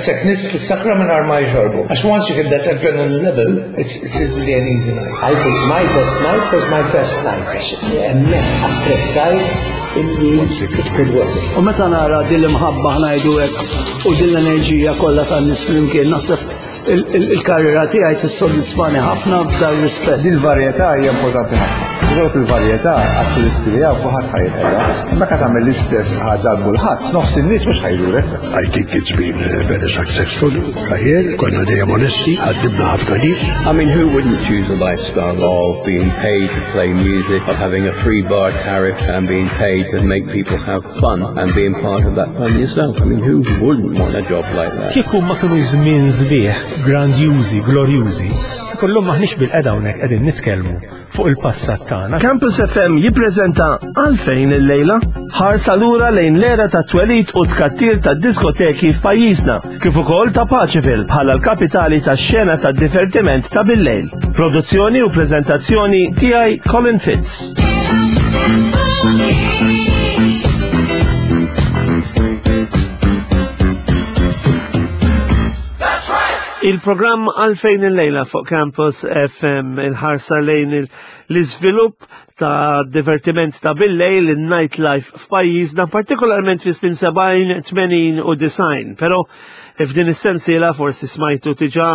Daqshekk nies fis-sakra mingħajr ma jxorbu. Għax once you hit that adrenaline level, it's, it's really an easy night. I think my best night was my first night. Għax hemmhekk apprezzajt illi it could work. U meta nara din l-imħabba ħnajdu hekk u din l-enerġija kollha tan-nies flimkien naħseb il-karriera tiegħi tissodisfani ħafna f'dan rispett. Din il-varjetà hija importanti ħafna. Dawk il-varjetà għat-turisti li hawn kulħadd ħajħela. Meta tagħmel l-istess ħaġa għal kulħadd, nofs in-nies mhux ħajdurek. I think it's been uh, very successful career, konna dejjem onesti, ħaddibna ħafna nies. I mean, who wouldn't choose a lifestyle of being paid to play music, of having a free bar tariff and being paid to make people have fun and being part of that fun yourself. I mean, who wouldn't want a job like that? Kieku ma kienu żmien sbieħ, grandjużi, glorjużi, kullum maħniex bil-qeda hawnhekk qegħdin nitkellmu fuq il-passat tagħna. Campus FM jippreżenta għalfejn illejla ħarsa lura lejn l-era ta' twelid u tkattir ta' diskoteki f'pajjiżna, kif ukoll ta' Paċeville bħala l-kapitali tax-xena ta' divertiment ta' billejl. Produzzjoni u preżentazzjoni tiegħi Colin Fitz. Il-programm għalfejn il-lejla fuq Campus FM il-ħarsa lejn l-iżvilupp ta' divertiment ta' billejl il-nightlife f'pajjiżna, partikolarment fi snin 70, 80 u 90. Pero f'din is-sensiela forsi smajtu tiġa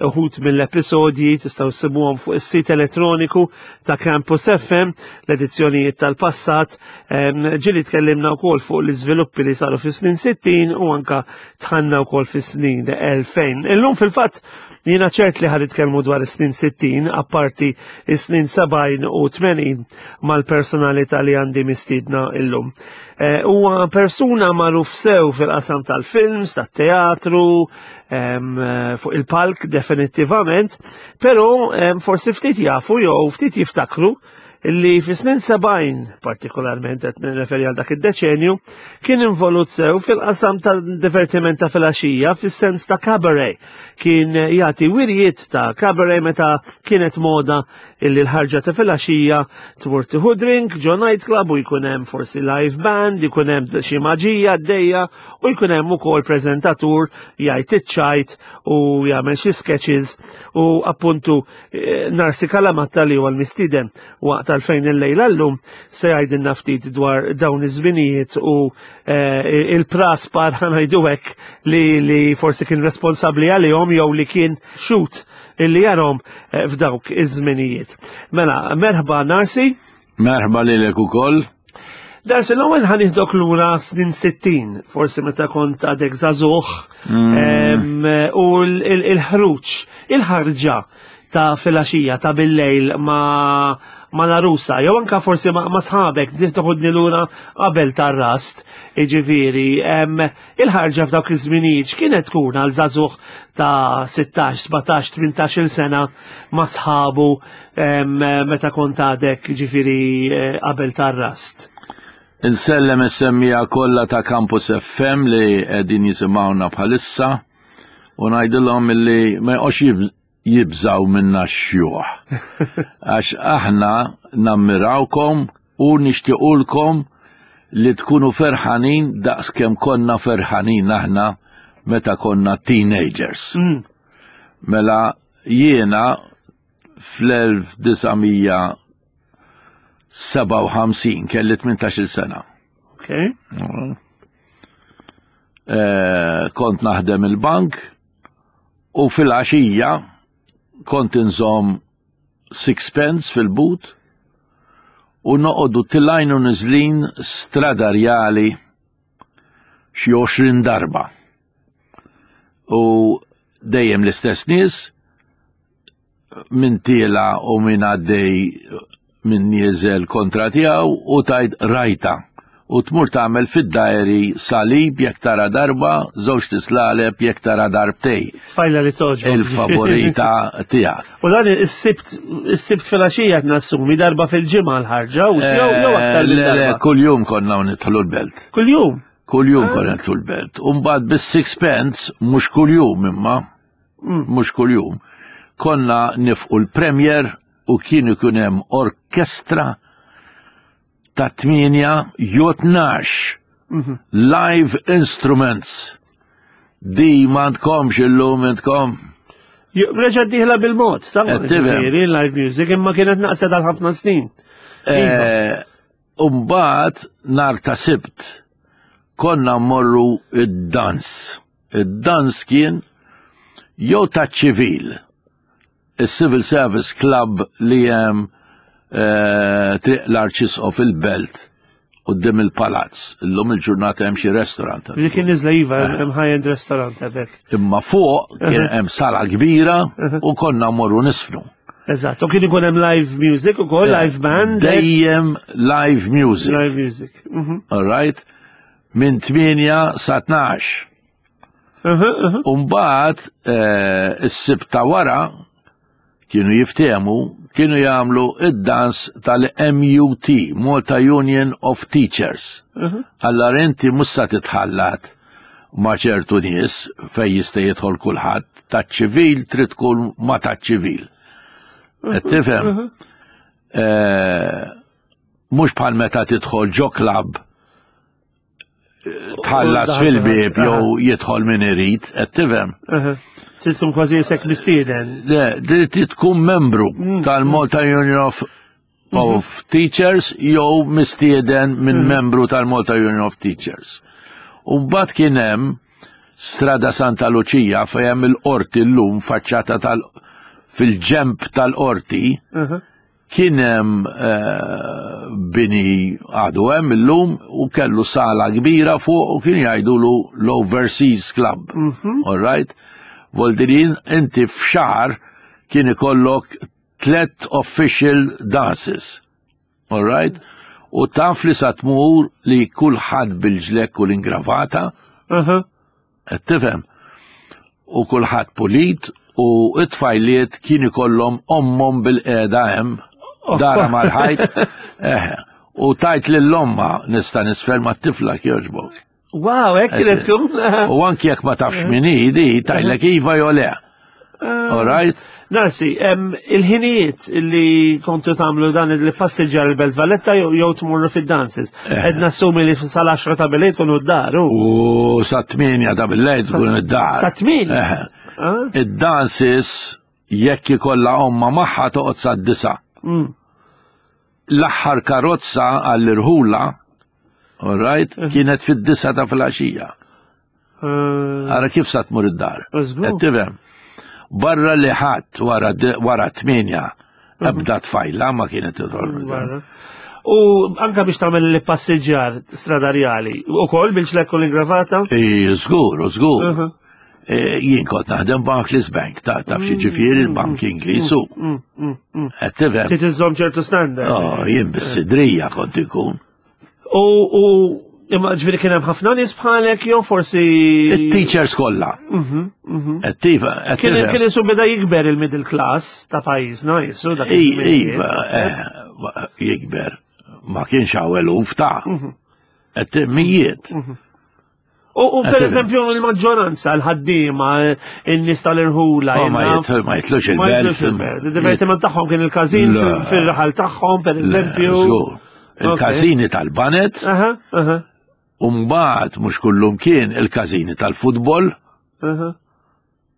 uħut mill-episodji tistgħu ssibuhom fuq is-sit elettroniku ta' Campus FM, l-edizzjonijiet tal-passat. Ġieli tkellimna wkoll fuq l-iżviluppi li saru fis-snin 60 u anka tħanna wkoll fis-snin 2000. Illum fil-fatt jiena ċert li ħad nitkellmu dwar is-snin 60, apparti is-snin 70 u 80 mal-personalità li għandi mistiedna illum. Eh, huwa persuna magħruf sew fil-qasam tal-films, tat-teatru, eh, fuq il-palk definittivament, però forsi ftit jafu jew ftit jiftakru li fi snin 70, partikolarment qed nirreferi għal dak id-deċenju, kien involut sew fil-qasam ta' divertiment ta' filgħaxija fis-sens ta' cabaret. Kien jagħti wirjiet ta' cabaret meta kienet moda illi l-ħarġa ta' filgħaxija tmur tieħu drink ġo nightclub u jkun hemm forsi live band, jkun hemm xi maġija għaddejja u jkun hemm ukoll preżentatur jgħid iċ-ċajt u jagħmel xi sketches u appuntu eh, Narsi Kalamatta li huwa l-mistieden waqt għalfejn il-lejla llum se jgħidilna ftit dwar dawn iż-żminijiet u eh, il-praspar ħanajdu hekk li, li forsi kien responsabbli għalihom jew li kien xut illi jarhom eh, f'dawk iż-żminijiet. Mela, merħba Narsi. Merħba lilek ukoll. Darsi l-ewwel ħaniħdok lura snin 60, forsi meta kont għadek żagħżugħ, mm. u l-ħruġ, il-ħarġa ta' filgħaxija ta' billejl ma' ma' l-arusa, jew anka forsi ma' sħabek, toħodni lura qabel tar-rast, jiġifieri, il-ħarġa f'dawk iż-żminijiet x'kienet tkun għal żagħżugħ ta' 16, 17, 18-il sena ma' sħabu meta kont għadek ġifieri eh, qabel tar-rast? Insellem is-semmija kollha ta' Campus FM li qegħdin jisimgħuna bħalissa u ngħidilhom illi ma jqgħodx jibżgħu minna x-xjuħ. Għax aħna nammirawkom u nixtiequlkom li tkunu ferħanin daqs kemm konna ferħanin aħna meta konna teenagers. Mm. Mela jiena fl-1957 kelli 18 sena. Okay. Mm. Eh, kont naħdem il-bank U filgħaxija kont inżomm sixpence fil-but u noqogħdu tilgħin u niżlin Strada Rjali xi 20 darba. U dejjem l-istess nies min tiela u min għaddej min nieżel kontra tiegħu u tajt rajta u tmur tagħmel fid-diary salib jekk tara darba, żewġ tislaleb jekk tara darbtej. Tfajla li toġ. Il-favorita tiegħek. U dan is-sibt is-sibt filgħaxija qed nassumi darba fil-ġimgħa l-ħarġa u jew jew aktar eh, minn darba. Kuljum konna nidħlu l-belt. Kuljum? Kuljum ah. konna nidħlu l-belt. U mbagħad bis-sixpence mhux kuljum imma mm. mhux kuljum, konna nifqu l-premier u kien ikun hemm orkestra ta' 8 jew 12 mhm. live instruments. Di m'għandkomx illum intkom. Reġa diħla bil-mod, ta' ġifieri live music imma kienet naqset għal ħafna snin. Iva. Eh, Umbat nar ta' sibt konna mmorru id-dans. Id-dans kien jew ta' ċivil, il-Civil Service Club li hemm eh, triq l-Arċisqof il-Belt quddiem il-palazz. Illum il-ġurnata hemm xi restaurant. Li kien niżla iva, eh. hemm high-end restaurant hemmhekk. Imma fuq kien hemm sala kbira u konna mmorru nisfnu. Eżatt, u kien ikun hemm live music ukoll, eh, live band. Dejjem live music. Live music. All right? Minn 8 sa 12. Umbagħad eh, is-sibt ta' wara kienu jiftehmu, kienu jagħmlu id-dans tal-MUT, Malta Union of Teachers. Allora inti mhux sa titħallat ma' ċertu nies fejn jista' jidħol kulħadd, taċ-ċivil trid tkun ma' taċ-ċivil. Qed tifhem? Eh, mhux bħal meta tidħol ġo klabb tħallas fil-bib jew jidħol min irid, qed tifhem. Trid tkun kważi isek mistieden. Le, trid tkun membru mm. tal-Malta Union of mm-hmm. of Teachers jew mistieden minn mm. membru tal-Malta Union of Teachers. U mbagħad kien hemm Strada Santa Luċija fejn hemm il-qorti llum faċċata tal fil-ġemp tal-qorti. Mhm. Kien hemm eh, bini għadu hemm illum u kellu sala kbira fuq u kien jgħidulu l-Overseas Club. Mhm. All right? Voldirin inti f'xahar kien ikollok tlet official dances. All right? U taf li sa tmur li kulħadd bil-ġlekk u l-ingravata. Mhm. Qed tifhem? U kulħadd pulit u t-tfajliet kien ikollhom ommhom bil-qiegħda hemm dara mal-ħajt. Eh, u tajt lill-omma nista' nisfer mat-tifla kjoġbok. Wow, hekk kienet tkun. U anki jekk ma tafx min hi di tajlek iva jew le. Eh, All right? Narsi, il-ħinijiet li kontu tagħmlu dan li passiġġar il-Belt Valletta jew tmurru fid-dances. Eh. Qed nassumi li sal-10 ta' bil tkunu d-dar. U sa 8 ta' bil-lejl tkunu d-dar. Sa 8? Eh. Ah. Id-dances jekk ikollha omma magħha toqgħod sa disa. L-aħħar karozza għall-irħula, all right, eh. kienet fid-disa ta' filgħaxija. Eh. Ara kif sa tmur id-dar. Qed tifhem. Barra li ħadd wara wara tminja mhm. ebda tfajla ma kienet tidħol. U anka biex tagħmel li passiġġar stradarjali, ukoll biex lekku l-ingravata? Żgur, żgur. Mhm. E, jien kont naħdem Barclays Bank, ta' taf xi mm, ġifieri mm, il-bank mm, Ingliż u. Qed tifhem. Trid iżżomm ċertu standard. Oh, jien bis-sidrija kont ikun. U u imma ġifieri kien hemm ħafna nies bħalek jew forsi. It-teachers kollha. Mhm, mhm. Qed tifhem. Kien kien isu beda jikber il-middle class ta' pajjiżna jisu dak. Iva, eh, jikber. Ma kienx hawn eluf ta' mhm. qed mijiet. U per eżempju il-maġġoranza, l-ħaddiema, in-nies tal-irħula. Oh, ma jitlux il-belt. Il-divertiment tagħhom kien il-każin fil-raħal tagħhom, per eżempju. Il-każini tal-banet. U mbagħad mhux kullum kien il-każini tal-futbol.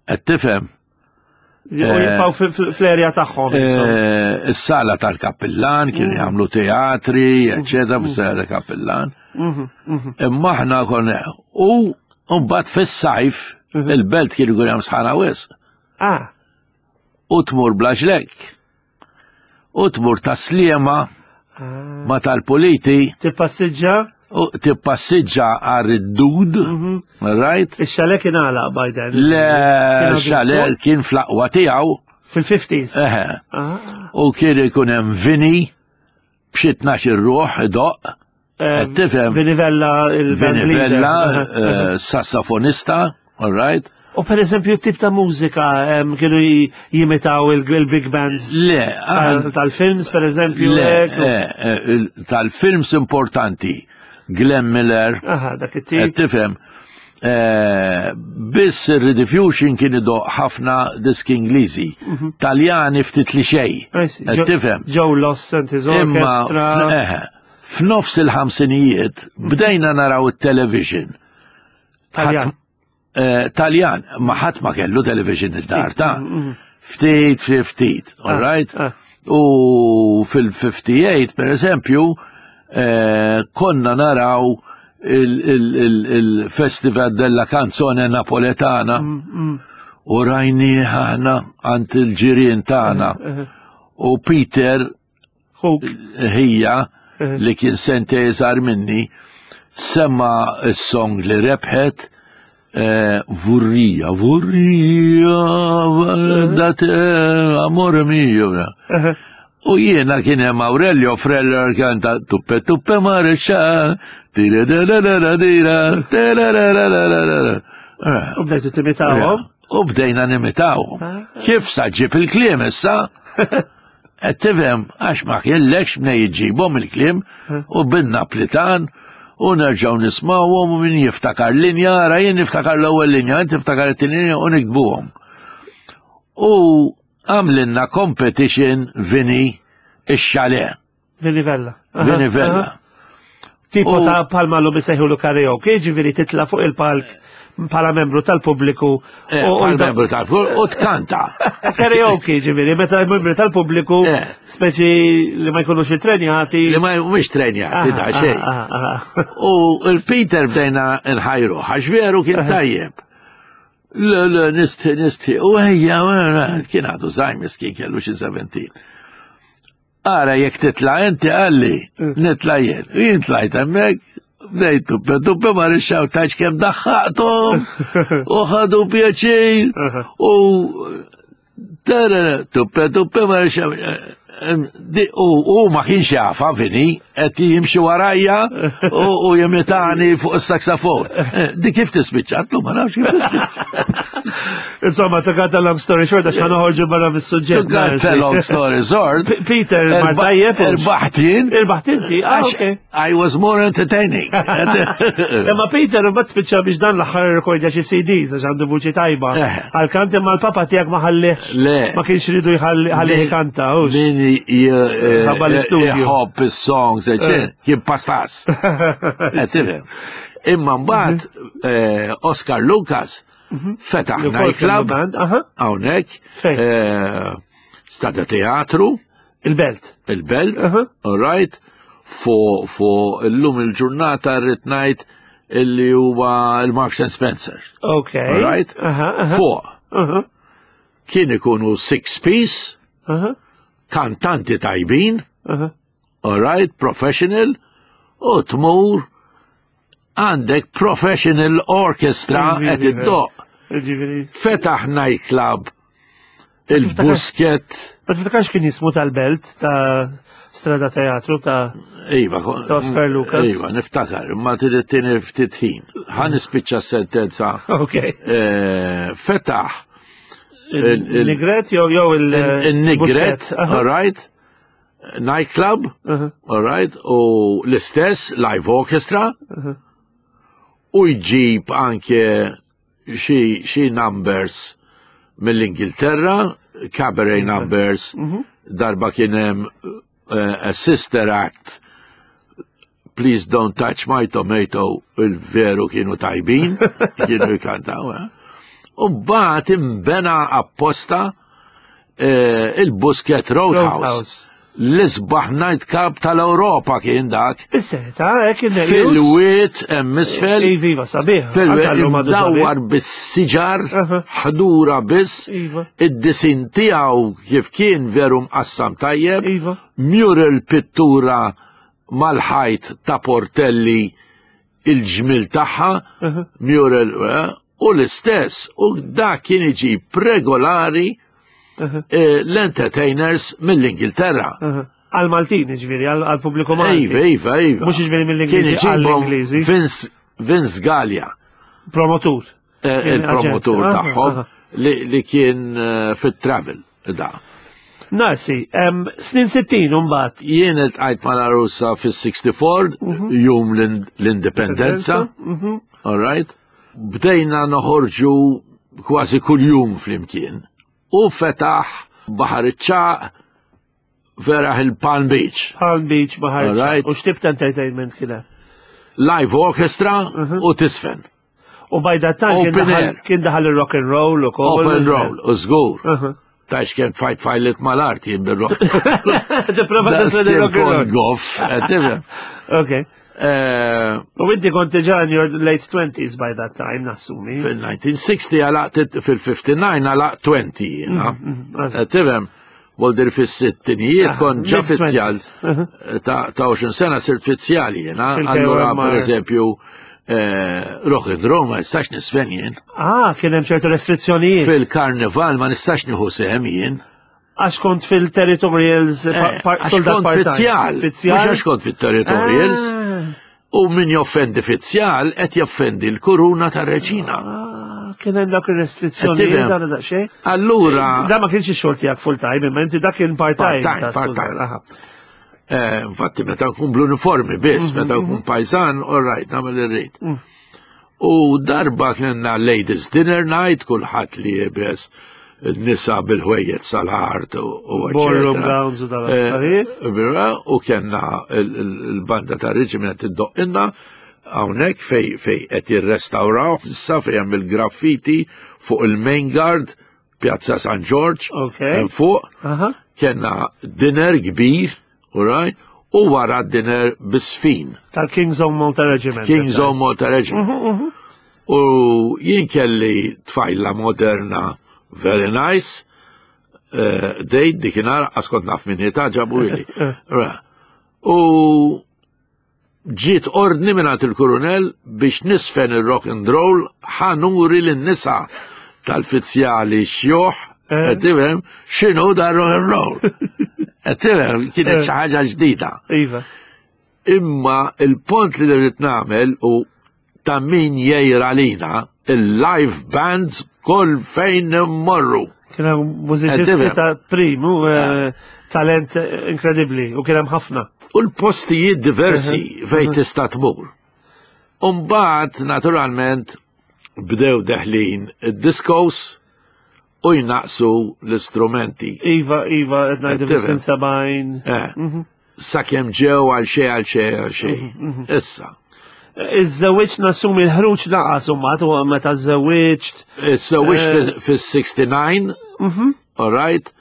Qed tifhem? U eh, jibqgħu fl-erja tagħhom. Eh, is-sala tal-kappillan kienu mm. jagħmlu teatri, mm. eċetera, mm. fis-sala tal-kappillan. Mm-hmm, mm-hmm. Imma aħna konna u mbagħad fis-sajf mm-hmm. il-belt kienu jkun hemm sħana wisq. Ah. U tmur bla ġlek. U tmur ta' sliema ah. ma tal-puliti. Tippassiġġa? U tippassiġġa għar id-dud, mhm. right? Ix-xale kien għalaq by then. Le, xale kien fl-aqwa tiegħu. Fil-50s. Eħe. Ah. U kien ikun hemm vini b'xi tnax ruħ idoqq. Qed tifhem? Vinivella il-Vinivella, eh, sassafonista, all right? U per eżempju tip ta' mużika kienu jimitaw il-big bands Le, tal-films per eżempju. Le, eh, eh, tal-films importanti. Glenn Miller. Aha, dak it-tip. Tifhem. Eh, biss ir-rediffusion kien idoq ħafna diski Ingliżi, mhm. Taljani ftit li xej. Tifhem. Joe Loss and his orchestra. Imma f'nofs il-ħamsinijiet mhm. bdejna naraw it-television. Taljan. Eh, Taljan, ma ħadd ma kellu television id-dar ta' ftit, ftit, ftit, all right? U fil-58, per eżempju, eh, konna naraw il-Festival della Canzone Napoletana u rajni ħana għand il-ġirien tagħna. U Peter ħija li kien sente iżgħar minni sema s-song li rebħet eh, Vurrija, vurrija, date amore mio. U jiena kien hemm Aurelio Freller kanta tuppe tuppe marexa, tira da da da dira, tira da da da da. U bdejtu timitawhom? U bdejna nimitawhom. Ah. Kif sa ġib il-kliem issa? Qed tifhem għax ma kellekx mnej iġġibhom il-kliem u bin-Naplitan u nerġgħu nismgħuhom u min jiftakar linja, ara jien niftakar l-ewwel linja, inti tiftakar it-tieni linja u niktbuhom. U għamlinna competition Vini ix-xale. Vini Vella. Vini Vella. Tipo ta' palma l-lum jisejħu karaoke, ġiviri titla fuq il-palk bħala membru tal-pubbliku. Eh, bħala membru tal-pubbliku u tkanta. Karaoke, ġiviri, meta membru tal-pubbliku, eh. speċi li ma jkunux trenjati. Li ma jkunux trenjati, da xejn. U il-Peter bdejna nħajru, għax veru kien tajjeb. Le, le, nistħi, nistħi. U ejja, kien għadu zaħi miskin kellu xi 17. Ara jekk titla' inti qalli, mm. nitla' jien. U jien tlajt hemmhekk, bdejt tuppe tuppe ma rixxaw taċ kemm daħħaqthom u ħadu pjaċir u tara tuppe tuppe ma rixxaw U ma kienx jafa vini, qed jimxi warajja u jimitani fuq is-saksafon. Eh, di kif tispiċċa? Għatlu ma nafx kif tispiċċa. Insomma, to cut a long story short, għax ħanoħorġu barra mis-suġġett. To cut a long story short. Peter, mar tajjeb. Irbaħt jien. Irbaħt inti, ah, ok. I was more entertaining. Imma Peter, mbagħad spiċċa biex dan l-aħħar rekordja xi CDs għax għandu vuċi tajba. Eh. Għal-kant imma l-papa tiegħek ma ħallihx. Le. Ma kienx ridu jħallih ikanta. Min eh, jħobb is-songs, eh. kien pastas. Imma mbagħad mhm. Oscar Lucas mhm. fetaħ nightclub hawnhekk. Stada teatru. Il-belt. Il-belt, all right. Fu fu illum il-ġurnata rrid ngħid illi huwa il-Marks and Spencer. Ok. All right. Fuq. Kien ikunu six piece, kantanti tajbin, all right, professional, u tmur għandek professional orchestra qed iddoq. Fetaħ nightclub il-busket. Ma tiftakarx kien jismu tal-belt ta' Strada Teatru ta' Iva, ta' Oscar Lucas. Iva, niftakar, ma trid tieni ftit ħin. Ħa nispiċċa sentenza. Ok. Eh, fetaħ. Il-Nigret jew jew il-Nigret, all right? Nightclub, all right, u l-istess live orchestra, u jġib anke xi numbers mill-Ingilterra, cabaret numbers, mhm. darba kien hemm eh, a sister act Please don't touch my tomato, il-veru kienu tajbin, kienu jkantaw. Eh? U bat imbena apposta eh, il-Busquet Roadhouse. L-isbaħ night club tal-Ewropa kien dak. Is-seta, hekk eh, Fil-wiet hemm isfel. Iva, iva, sabiħ. Fil-wiet imdawwar bis-siġar, ħdura biss. Iva. Id-disin tiegħu kif kien veru mqassam tajjeb. Iva. Mural pittura mal-ħajt ta' Portelli il-ġmil tagħha, mural, eh, u l-istess, u dak kien iġib regolari eh, l-entertainers mill-Ingilterra. Għal-Maltin, ġviri, għal-pubbliku Malti. Iva, iva, iva. Mux ġviri mill-Ingliżi, għall-Ingliżi. Vince, Vince Gallia. Promotur. Eh, il-promotur tagħhom li kien fit-travel. Da. Narsi, snin 60 mbagħad. Jien iltqajt mal-Arusa fis-64, mhm. jum l-indipendenza. Mhm. All right. Bdejna noħorġu kważi kuljum flimkien. U fetaħ Baħar iċ-Ċagħaq feraħ il-Palm Beach. Palm Beach, Baħar iċ-Ċagħaq. U x'tip ta' entertainment kien Live orchestra mhm. u tisfen. U by that time kien daħal il-rock and roll u kol. Open roll, u żgur. Tax kien fajt fajlit mal-art jien bil-rock. Tipprova tisel il-rock and roll. Goff, Ok. Eh, u inti kont diġà in your late 20s by that time, nassumi. Fil-1960 għalaq fil-59 għalaq 20 jiena. Mm, mm, Tifhem, Voldir fis-sittinijiet ah, kont ġa fizzjal uh-huh. ta' 20 sena sirt fizzjal jiena. Allura per eżempju eh, rock and roll ma nistax nisfen jien. Ah, kien hemm ċertu restrizzjonijiet. Fil-karnival ma nistax nieħu sehem jien. Għax kont fil-territorials, eh, soldat part-time. Fizzjal. Mhux għax kont fil-territorials. Ah. U min joffendi fizzjal qed joffendi l-kuruna tar-reġina. Ah, kien hemm dak ir-restrizzjonijiet dan daqsxejn. Allura. Da ma kienx ix-xogħol tiegħek full time, imma inti dak kien part time. Part time. Eh, infatti meta nkun bl-uniformi biss, mhm, meta nkun mhm. pajsan, all right, nagħmel irrid. Mm. U darba kellna ladies dinner night, kulħadd li jibes nisa bil-ħwejjeġ sal-art u Ballroom gowns u dal-affarijiet. Eh, u kellna l-banda ta' reġiment iddoqqinna hawnhekk fej fej qed jirrestawraw issa fej hemm il-graffiti fuq il-main guard Pjazza San Ġorġ, fuq, kellna dinner kbir, right, u wara dinner bisfin. Tal-King's Own Malta Regiment. King's Own Malta Regiment. Mhm, mhm. U jien kelli tfajla moderna, very nice, eh, dejt dikinar, għaskont naf minn ta' ġabu ili. Eh. U Ġiet ordni mingħand il-Kurunell biex nisfen ir-rock and roll ħa nuri lin-nisa tal-fizzjali xjuħ, eh. qed tifhem x'inhu da rock and roll. Qed tifhem kienet eh. xi ħaġa ġdida. Iva. Imma il-pont li rrid nagħmel u ta' min jgħir għalina il-live bands kull fejn immorru. Kien hemm mużiċisti ta' primu, eh, talent inkredibbli u kien hemm ħafna. U l-postijiet diversi fejn tista' tmur. Umbagħad naturalment bdew deħlin id-diskos u jnaqsu l-istrumenti. Iva, iva, qed ngħidu fis-sin 70. Eh. Mhm. Sakemm ġew għal xejn għal xejn għal xejn. Mhm, mhm. Issa. Iż-żewġ nassumi l-ħruġ naqas u mat u meta żewġt. Iż-żewġt eh. fis-69, all right?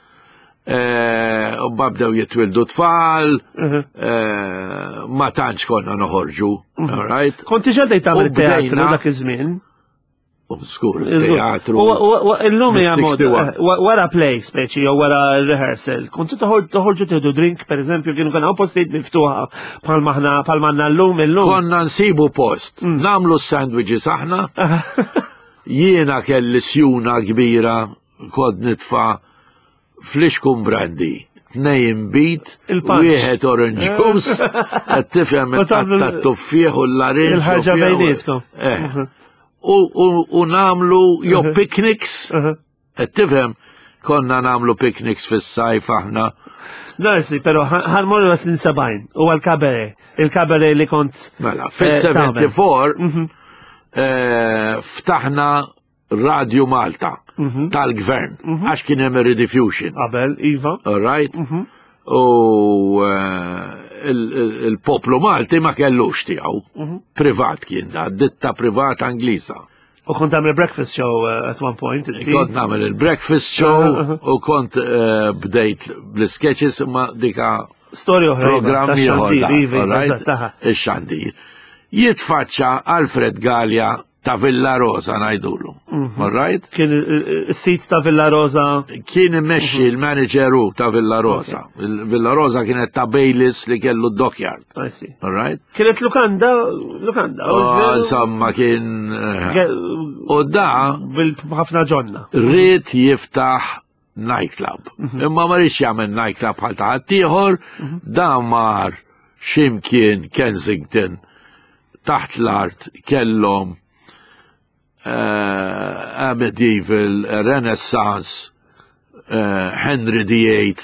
Eh, u babdew jitwildu tfal, ma tantx konna noħorġu, all right? Konti ġaddej tagħmel teatru dak iż-żmien? Skur, teatru. Illum hija moda. Eh, wara play speċi jew wara rehearsal. Kontu toħorġu tieħdu drink, per eżempju, kienu kien hawn postijiet miftuħa bħal maħna bħal manna llum illum. Konna nsibu post, mm. nagħmlu sandwiches aħna. Jiena kelli sjuna kbira kod nitfa' Flixkun brandy, tnej inbid, wieħed orange eh. juice, qed tifhem tat-tuffieħ u l-larinġ. Il-ħarġa bejnietkom. Eh. Mhm. U namlu jew mhm. picnics, mhm. qed tifhem konna namlu picnics fis-sajf aħna. Darsi, pero ħarmorru snin 70 u għal-kabere, il-kabere li kont. Mela, fis-74 eh, ftaħna Radio Malta mhm. tal-gvern mhm. għax kien hemm rediffusion. Qabel, iva. All right? Mhm. U eh, il-poplu Malti ma kellux tiegħu. Privat kien da, ditta privat Angliża. U kont għamil breakfast show eh, at one point. Kont nagħmel il-breakfast show u kont eh, bdejt bl-sketches ma dika Storja oħra. Iva, programm ieħor. Iva, Ix-xandir. Jitfaċċa Alfred Gallia ta' Villa Rosa ngħidulu. Mhm. All right? Kien is-sit ta' Villa Rosa. Kien immexxi mhm. l-manager hu ta' Villa Rosa. Villa Rosa kienet ta' Baylis li kellu d-dockyard. All right? Kienet lukanda, lukanda. Oh, insomma kien. Eh, u da. Bil-ħafna ġonna. Ried jiftaħ nightclub. Mhm. Imma ma rridx jagħmel nightclub bħal ta' ħaddieħor, mhm. dan mar ximkien Kensington taħt l-art kellhom uh, medieval Renaissance uh, Henry VIII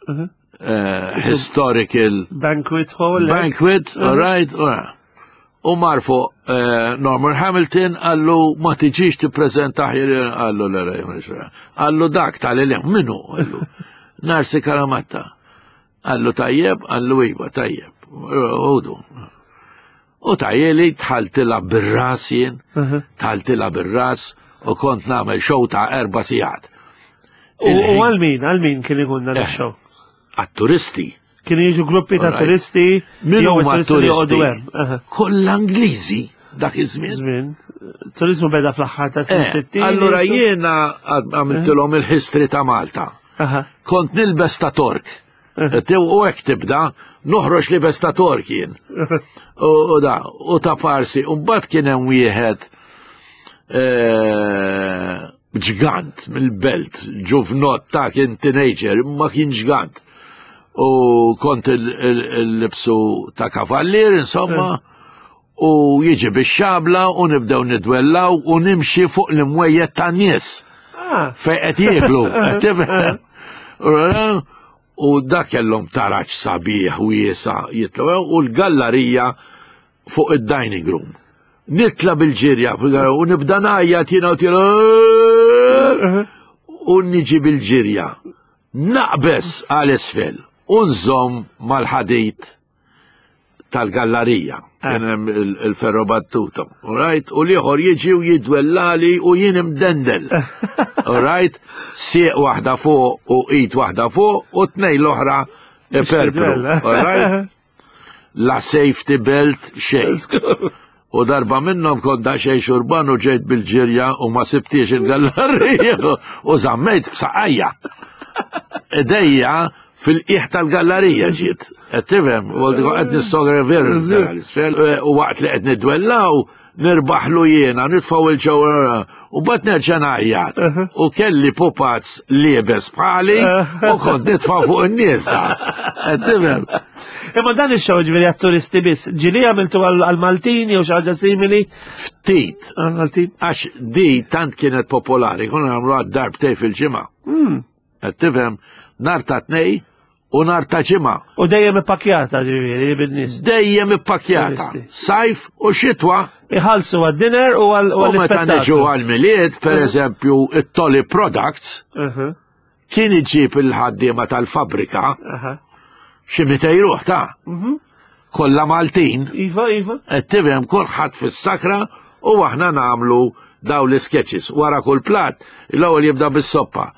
mhm. eh, historical banquet hall. Banquet, all right, all right. U mar fuq eh, Norman Hamilton għallu ma tiġix tippreżenta ħir għallu l Għallu dak tal-li minnu għallu. Narsi Karamatta. Għallu tajjeb, għallu iva, tajjeb. Udu. U tajjeli tħaltila bir-ras jien, tħaltila bir-ras u kont nagħmel show ta' erba' sigħat. U għal min, għal min kien ikun dan eh, ix-show? Għat-turisti. Kienu jiġu gruppi ta' turisti. Min huma turisti? Kollha Ingliżi dak iż-żmien. Żmien. Turizmu beda fl-aħħar ta' snin 60. Eh, allura jiena għamiltilhom il-history ta' Malta. Kont nilbes ta' Tork. U hekk tibda, noħroġ li besta tork jien. U da, u ta' parsi, u mbagħad kien hemm wieħed eh, ġgant mill-belt, ġuvnot ta' kien teenager, ma kien ġgant. U kont il-libsu ta' kavallier, insomma, u jiġi bix-xabla u nibdew nidwellaw u nimxi fuq l-imwejjed ta' nies. Ah. Fejn qed jieklu. U dak kellhom taraġ sabiħ wiesa jitlu u l-gallarija fuq id-dining room. Nitla bil-ġirja u nibda ngħajjat jiena u tielu u niġi bil-ġirja. Naqbes għal isfel u nżomm mal-ħadid tal-gallarija, eh. kien hemm il-ferro battuta, right? U liħor jiġi u jidwellali u jien imdendel. Right? Sieq waħda fuq u id waħda fuq u tnej l-oħra iperpru. Right? La safety belt xejn. U darba minnhom kont daqsxejn xurban u ġejt bil-ġirja u ma sibtiex il-gallarija u żammejt b'saqajja. Idejja fil-qiegħ tal-gallarija ġiet. Qed tifhem, u qed nissogra veru u waqt li qed nidwellaw nirbaħlu jiena, nitfgħu il-ġewwa u bat nerġa' ngħajjat. U kelli pupazz liebes bħali u kont nitfa' fuq in-nies da. Qed tifhem? Imma dan ix-show ġifieri għat-turisti biss, ġieli għamiltu għall-Maltin jew xi ħaġa simili? Ftit. Għall-Maltin. Għax di tant kienet popolari, konna nagħmlu għad-darbtej fil-ġimgħa. Hmm. Qed tifhem, nar ta' tnej u nar ta' ġimgħa. U dejjem ippakjata ġifieri bin-nies. Dejjem ippakjata. Sajf u xitwa. Iħallsu għad-dinner u għall-. U meta niġu għall-Milied, per eżempju, it-Tolly Products, kien iġib il-ħaddiema tal-fabbrika xi mitej ruħ ta' mhm. kollha Maltin. Iva, iva. Qed tifhem kulħadd fis-sakra u aħna nagħmlu daw l-sketches. Wara kull plat, l-ewwel jibda bis-soppa.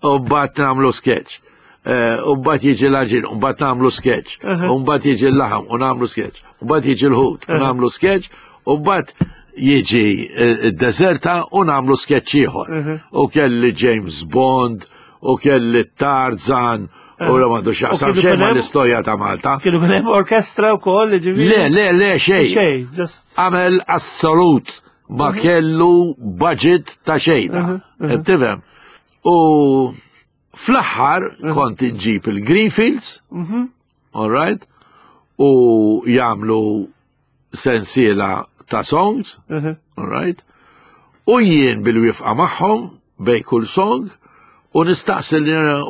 U mbagħad nagħmlu sketch. Eh, u mbagħad jiġi l-għaġin, u mbagħad nagħmlu sketch. U mbagħad jiġi l-laħam u nagħmlu sketch. U mbagħad jiġi l-ħut u nagħmlu sketch. U mbagħad jiġi eh, id-deserta u nagħmlu sketch ieħor. Mhm. U kelli James Bond, u kelli Tarzan, u l għandu xaqsam xejn ma l-istorja ta' Malta. Kienu kien hemm orkestra wkoll, ġifieri. Le, le, le, xejn. Xejn, just. Għamel assolut ma mhm. kellu budget ta' xejn. Mhm, Tifhem? U fl-aħħar kont inġib il-Greenfields, all right, u jagħmlu sensiela ta' songs, mhm. all right, u jien bil-wifqa magħhom bej kull song u nistaqsi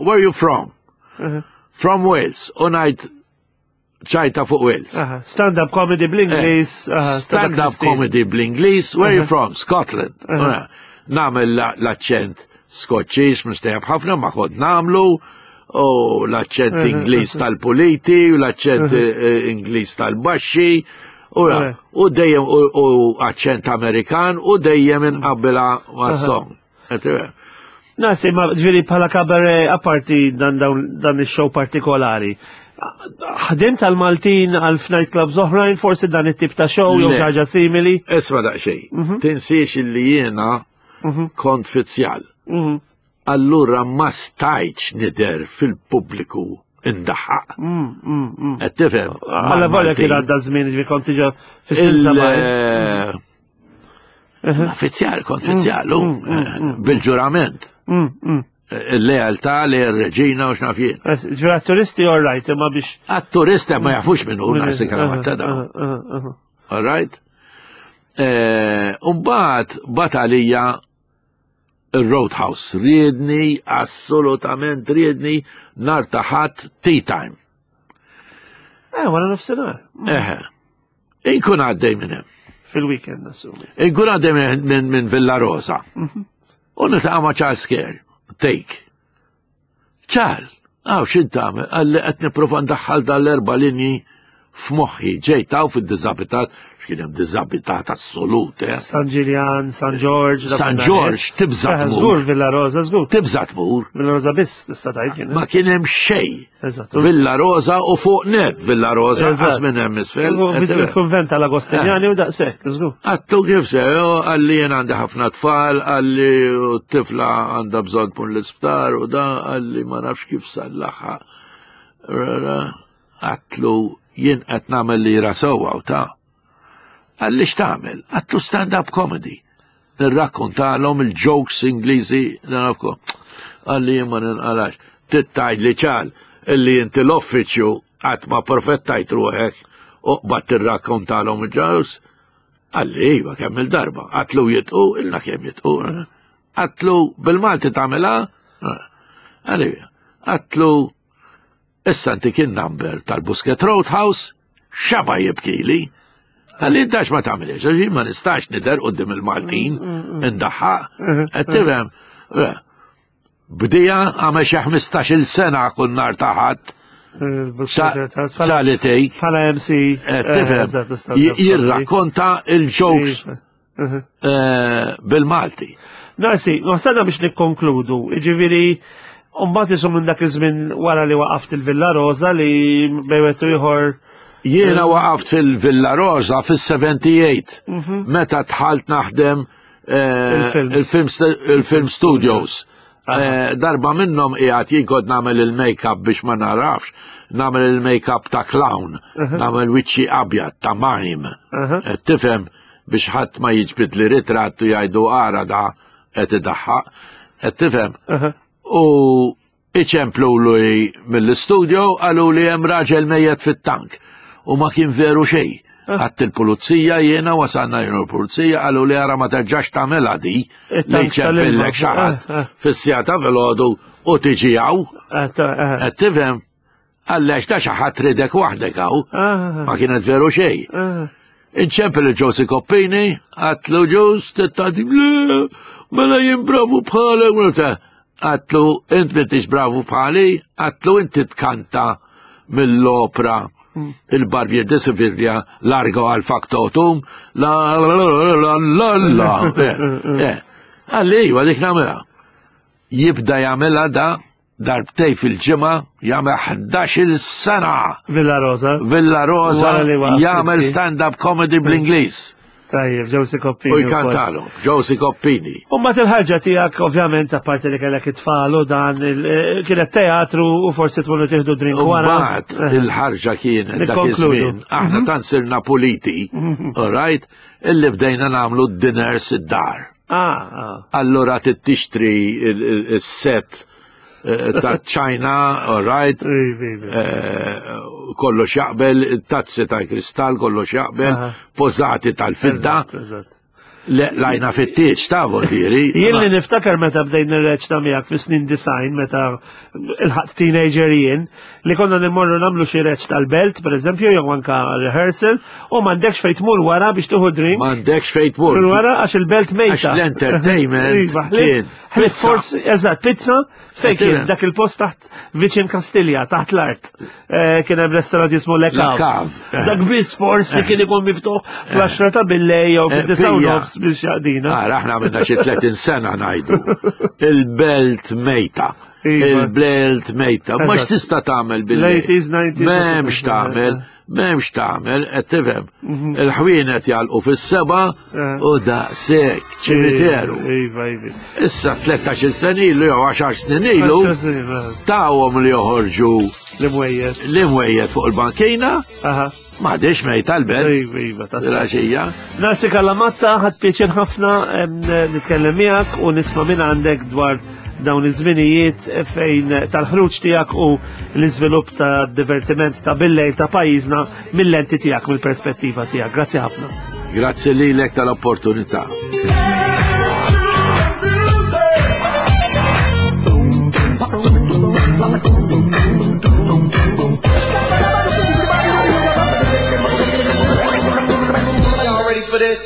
where you from? Mhm. From Wales, u ngħid ċajta fuq Wales. Stand-up comedy bl-Inglis. Eh, stand-up comedy bl-Inglis, where you from? Scotland. Namel l-accent Skoċċiż, mistejab ħafna, ma kont namlu, u l-aċċent Ingliż tal-puliti, u l-aċċent eh, eh, Ingliż tal-baxxi, u dejjem u aċċent Amerikan, u dejjem inqabbilha mas-song. Nasi, ma ġviri bħala kabare apparti dan, dan il-show partikolari. Ħdim tal-Maltin għal f'night clubs oħrajn, forsi dan it-tip ta' show jew ħaġa simili. Isma daqsxejn. Mhm. Tinsiex illi jiena mhm. kont fizzjal. Mhm. Allura ma stajtx nidher fil-pubbliku indaħħaq. Mm, mm, mm. Qed tifhem? Alla volja kien għadda żmien ġifi kont diġà fis-snin eh, Fizzjal, kont fizzjal, mm, mm, eh, mm, bil-ġurament. Il-lealtà li r-reġina u x'naf jien. Ġura turisti all right, imma biex. Għat-turisti ma jafux minn hu nasi kalamatta da. All right? Eh, u mbagħad bat għalija il-Roadhouse riedni, assolutament riedni, nar ta' ħadd tea time. Eh, wara nofsinhar. Eħe. Inkun għaddej minn hemm. Fil-weekend, assumi. Inkun għaddej minn min Villa Rosa. Mhm. U niltaqa' ma' Charles Kerr, take. Charles, għaw xin tagħmel? Għalli qed nipprova ndaħħal dal-erba' linji. F'moħħi ġejt hawn fid-diżabitat, x'kien hemm diżabitat assolut, eh. San Ġiljan, San Ġorġ. San Ġorġ tibża' tmur. Żgur Villa Rosa, żgur. Tibża' tmur. Villa Rosa biss tista' tgħid kien. Ma kien hemm xejn. Eżatt. Villa Rosa u fuq net Villa Rosa qas minn hemm isfel. Il-kunvent tal-Agostinjani u daqshekk, żgur. Għattu kif se, għalli jien għandi ħafna tfal, għalli t-tifla għandha bżonn tmur l-isptar u da għalli ma nafx kif sallaħħa. Għatlu jien qed nagħmel lira sewwa u ta'. Qalli x'tagħmel? Għatlu stand-up comedy. Nirrakkontalhom il-jokes Ingliżi nafkom. Qalli jien ma ninqalax. Tittajt li ċal illi inti l-uffiċċju qatt ma perfettajt ruħek u qbad tirrakkontalhom il-jokes. Qalli iva kemm il-darba. Għatlu jitqu, ilna kemm jitqu. Għatlu bil-Malti tagħmilha? Qalli għatlu Issa ntik in-number tal-Busket Roadhouse, xaba jibkili. Għalli intax ma tagħmilx, għax ma nistax nidher qudiem il-Maltin indaħħaq, qed tifhem. Bdija għamel xi 15-il sena kull nhar ta' ħadd. Salitej. Bħala MC. Tifhem. Jirrakkonta il-jokes Eh, bil-Malti. Narsi, wasalna biex nikkonkludu, ġiviri, Umbat jisu minn dak iż-żmien wara li waqaft il-Villa Rosa li bejwetu ieħor. Jiena waqaft fil-Villa Rosa fis-78 mhm. meta dħalt naħdem eh, il-film studios. Eh, darba minnhom qiegħed jien kont nagħmel il-make-up biex ma narafx, nagħmel il-make-up ta' clown, nagħmel wiċċi abjad ta' mime. Tifhem biex ħadd ma jiġbid li ritratt u jgħidu ara da qed idaħħaq. Qed tifhem? U iċemplu li mill-istudio qalu li hemm raġel mejjet fit-tank u ma kien veru xejn. Għadt il-pulizija jiena wasalna jien l-pulizija qalu li ara ma terġax tagħmilha di li ċempillek xi ħadd eh, eh. fis-sija ta' filgħodu u tiġi hawn. Eh, Qed tifhem? Għallex ta' xi ħadd ridek waħdek hawn. Ma kienet veru xejn. Inċempel il-Ġosi Koppini, għatlu ġus, t-tadi, mela jien bravu bħalek, għatlu int m'intix bravu bħali, għatlu inti tkanta mill-opra il-Barbier de Sevilla largo għal factotum, la la la la la la. Eh, Għalli, iva dik namela. Jibda jagħmilha da darbtej fil-ġimgħa jagħmel 11-il sena. Villa Rosa. Villa Rosa jagħmel stand-up comedy bl-Ingliż. Tajjeb, Josie Coppini. U jkantalu, Josie Coppini. U mat il-ħarġa tiegħek ovvjament apparti li kellek it-tfal u dan eh, kienet teatru u forsi tmorru tieħdu drink wara. Mbagħad eh. il-ħarġa kienet dak iż-żmien. Aħna mhm. tant sirna puliti, mhm. all right, illi bdejna nagħmlu dinners id-dar. Ah, ah. Allura tixtri il-set eh, ta' ċajna, all right, eh, kollox jaqbel, tazzi ta' kristall, kollox jaqbel, pożati tal-fidda. Lajna fit-tieġ ta' diri. Jien li niftakar meta bdejn nirreċta miegħek fis-snin design meta il-ħadd teenager jien li konna nimmorru nagħmlu xi reċ tal-belt, pereżempju, jew anka rehearsal, u m'għandekx fejn tmur wara biex tieħu drink. M'għandekx fejn tmur. Wara għax il-belt mejta. Għax l-entertainment iva, kien. Ħlief forsi, eżatt, pizza, fejn kien dak il-post taħt viċin Kastilja, taħt l-art. Eh, kien hemm restaurant jismu Le Cave. Eh. Dak biss forsi eh. kien ikun miftuħ fl-10 ta' billej jew fid-disa' nofs biex jaqdina. Ara aħna għamilna xi 30 sena ngħidu. Il-belt mejta. Iva. Il-belt mejta. Ma x'tista' tagħmel bil-lejl? M'hemmx tagħmel. M'hemmx tagħmel, qed tifhem. Mhm. Il-ħwienet jagħlqu fis-seba eh. u daqshekk ċimiteru. Iva, iva. Issa 13 sena ilu jew 10 snin ilu tawhom li joħorġu l-imwejjed. L-imwejjed fuq il-bankina. M'għadix mejta l-belt. Iva, iva, ta' Nasi Kalamatta ħadd pjaċir ħafna nitkellem miegħek u nisma' minn għandek dwar dawn iż-żminijiet fejn tal-ħruġ tiegħek u l-iżvilupp ta' divertiment ta' billejl ta' pajjiżna mill-lenti tiegħek mill-perspettiva tiegħek. Grazzi ħafna. Grazzi lilek tal-opportunità. Y'all ready for this?